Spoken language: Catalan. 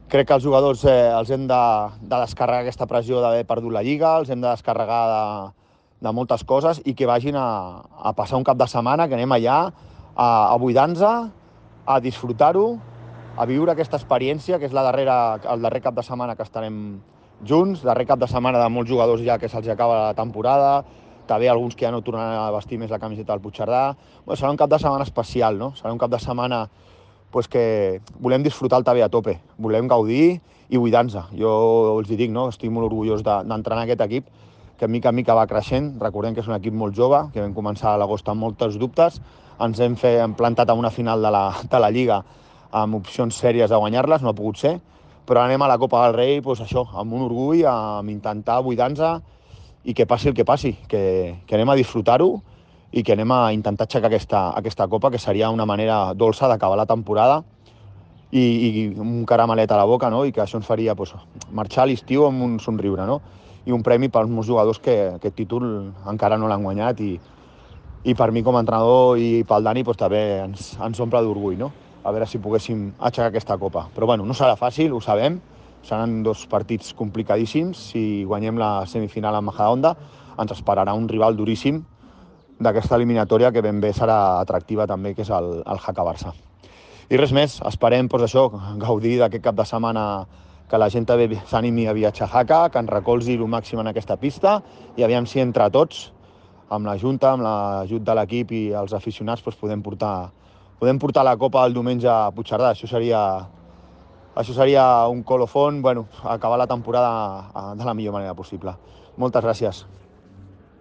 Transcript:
Crec que els jugadors els hem de descarregar aquesta pressió d'haver perdut la Lliga, els hem de descarregar de moltes coses i que vagin a passar un cap de setmana, que anem allà a buidar-nos, a disfrutar-ho, a viure aquesta experiència, que és el darrer cap de setmana que estarem junts, darrer cap de setmana de molts jugadors ja que se'ls acaba la temporada, també alguns que ja no tornaran a vestir més la camiseta del Puigcerdà. Bueno, serà un cap de setmana especial, no? Serà un cap de setmana pues, que volem disfrutar el també a tope, volem gaudir i buidar-nos. Jo els dic, no? Estic molt orgullós d'entrenar aquest equip, que mica en mica va creixent. Recordem que és un equip molt jove, que vam començar a l'agost amb molts dubtes, ens hem plantat a una final de la Lliga amb opcions sèries de guanyar-les, no ha pogut ser, però anem a la Copa del Rei doncs això, amb un orgull, amb intentar buidar-nos i que passi el que passi, que anem a disfrutar-ho i que anem a intentar aixecar aquesta Copa, que seria una manera dolça d'acabar la temporada i un caramelet a la boca, no? I que això ens faria doncs, marxar a l'estiu amb un somriure, no? I un premi pels meus jugadors que aquest títol encara no l'han guanyat i per mi com a entrenador i pel Dani doncs, també ens omple d'orgull, no? A veure si poguéssim aixecar aquesta Copa. Però bueno, no serà fàcil, ho sabem, seran dos partits complicadíssims. Si guanyem la semifinal amb Majadahonda, ens esperarà un rival duríssim d'aquesta eliminatòria que ben bé serà atractiva també, que és el Jaca Barça. I res més, esperem doncs, això, gaudir d'aquest cap de setmana, que la gent també s'animi a viatjar a Jaca, que ens recolzi el màxim en aquesta pista i aviam si entre tots, amb la Junta, amb l'ajut de l'equip i els aficionats, doncs podem portar la Copa el diumenge a Puigcerdà. Això seria un colofón, bueno, acabar la temporada de la millor manera possible. Moltes gràcies.